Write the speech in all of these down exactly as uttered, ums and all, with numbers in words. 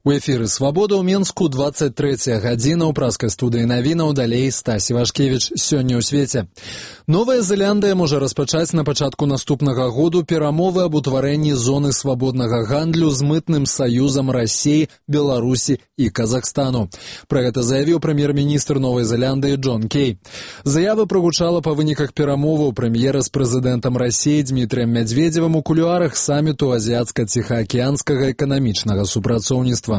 У эфіры «Свабода» ў Менску, двадцать третья гадзіна, ў праскай студыі навінаў, далей Стась Івашкевіч. Сёння ў свеце. Новая Зеландыя можа распачаць на пачатку наступнага году перамовы аб утварэнні зоны свабоднага гандлю з мытным саюзам Расіі, Беларусі і Казахстану. Пра гэта заявіў прэм'ер-міністр Новай Зеландыі Джон Кей. Заява прагучала па выніках перамоваў прэм'ера з прэзідэнтам Расіі Дмітрыем Мядзведзевым у кулуарах саміту азіяцка-ціхаакіянскага эканамічнага супрацоўніцтва.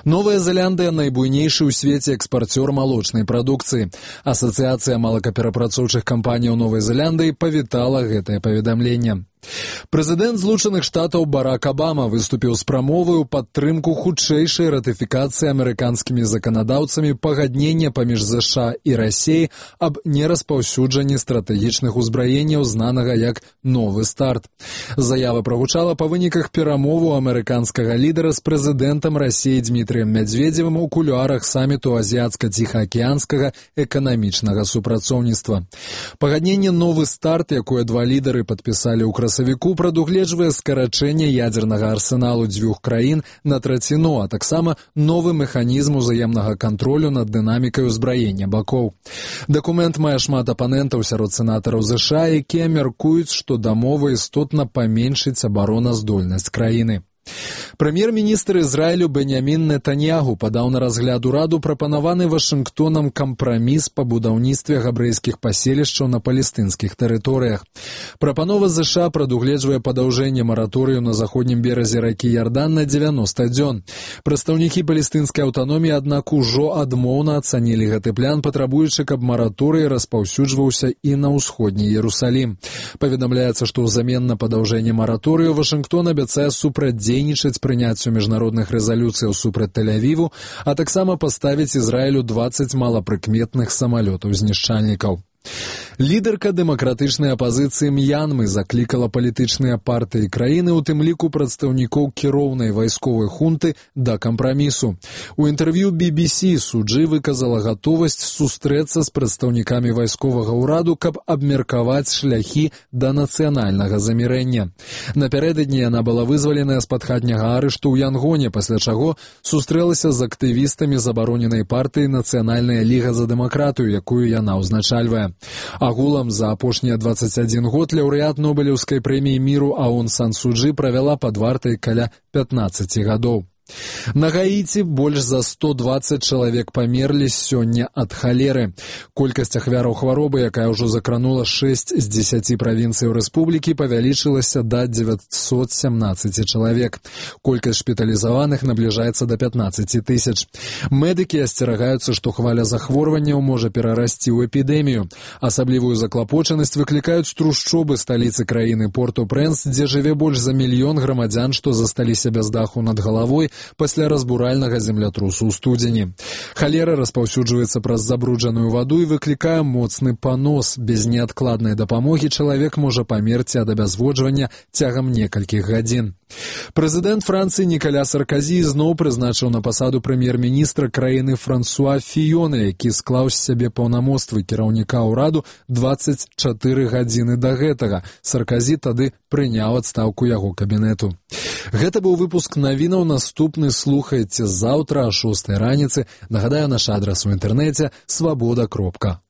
Новая Зеландыя – найбуйнейшы ў свеце экспарцёр малочнай прадукцыі. Асацыяцыя малакаперапрацоўчых кампаніяў Новай Зеландыі павітала гэтае паведамленне. Прэзідэнт Злучаных Штатаў Барак Абама выступіў з прамовай у падтрымку хутчэйшай ратыфікацыі амерыканскімі заканадаўцамі пагаднення паміж ЗША і Расіяй аб нераспаўсюджанні стратэгічных узбраенняў, знанага як «Новы старт». Заява прагучала па выніках перамову амерыканскага лідара з прэзідэнтам Расіі Дмітрыем Мядзведзевым у кулуарах саміту азіяцка-ціхаакіянскага эканамічнага супрацоўніцтва. Пагадненне «Новы старт», якое два лідары падпісалі ў красавіку, прадугледжвае скарачэнне ядзернага арсеналу дзвюх краін на траціну, а таксама новы механізм узаемнага кантролю над дынамікай узбраення бакоў. Дакумент мае шмат апанентаў сярод сенатараў ЗША, якія мяркуюць, што дамова істотна паменшыць абароназдольнасць краіны. Прэм'ер-міністр Ізраілю Беньямін Нетаньягу падаў на разгляд ураду прапанаваны Вашынгтонам кампраміс па будаўніцтве габрэйскіх паселішчаў на палестынскіх тэрыторыях. Прапанова ЗША прадугледжвае падаўжэнне мараторыю на заходнім беразе ракі Ярдан на дзевяноста дзён. Прадстаўнікі палестынскай аўтаноміі, аднак, ужо адмоўна ацанілі гэты план, патрабуючы, каб мараторый распаўсюджваўся і на ўсходні Іерусалім. Паведамляецца, што ўзамен на падаўжэнне мараторыю Вашынгтон абяцае супрацьдзейнічаць прыняццю міжнародных рэзалюцыяў супраць Тель-Авіву, а таксама паставіць Ізраілю дваццаць малапрыкметных самалётаў-знішчальнікаў. Лідарка дэмакратычнай апазіцыі М'янмы заклікала палітычныя партыі краіны, у тым ліку прадстаўнікоў кіроўнай вайсковай хунты, да кампрамісу. У інтэрв'ю би би сі суджы выказала гатовасць сустрэцца з прадстаўнікамі вайсковага ўраду, каб абмеркаваць шляхі да нацыянальнага замірэння. Напярэдадні яна была вызваленая з-пад хатняга арышту ў Янгоне, пасля чаго сустрэлася з актывістамі забароненай партыі «Нацыянальная ліга за дэмакратыю», якую яна ўзначальвае. Агулам за апошнія дваццаць адзін год лаўрэат Нобелеўскай прэміі міру Аун Сан Су Чжы правяла пад вартай каля пятнаццаці гадоў. На Гаіці больш за сто дваццаць чалавек памерлі сёння ад халеры. Колькасць ахвяраў хваробы, якая ўжо закранула шэсць з дзесяці правінцыяў рэспублікі, павялічылася да дзевяцьсот сямнаццаці чалавек. Колькасць шпіталізаваных набліжаецца да пятнаццаці тысяч. Медыкі асцерагаюцца, што хваля захворванняў можа перарасці ў эпідэмію. Асаблівую заклапочанасць выклікаюць трушчобы сталіцы краіны Порт-о-Прэнс, дзе жыве больш за мільён грамадзян, што засталіся без даху над галавой пасля разбуральнага землятрусу ў студзені. Халера распаўсюджваецца праз забруджаную ваду і выклікае моцны панос. Без неадкладнай дапамогі чалавек можа памерці ад абязводжвання цягам некалькіх гадзін. Прэзідэнт Францыі Нікаля Сарказі зноў прызначыў на пасаду прэм'ер-міністра краіны Франсуа Фіёна, які склаў з сябе паўнамоцтвы кіраўніка ўраду дваццаць чатыры гадзіны да гэтага. Сарказі тады прыняў адстаўку яго кабінету. Гэта быў выпуск навінаў. Наступны слухайце заўтра о шостай раніцы. Нагадаю, наш адрас у інтэрнэце свабода кропка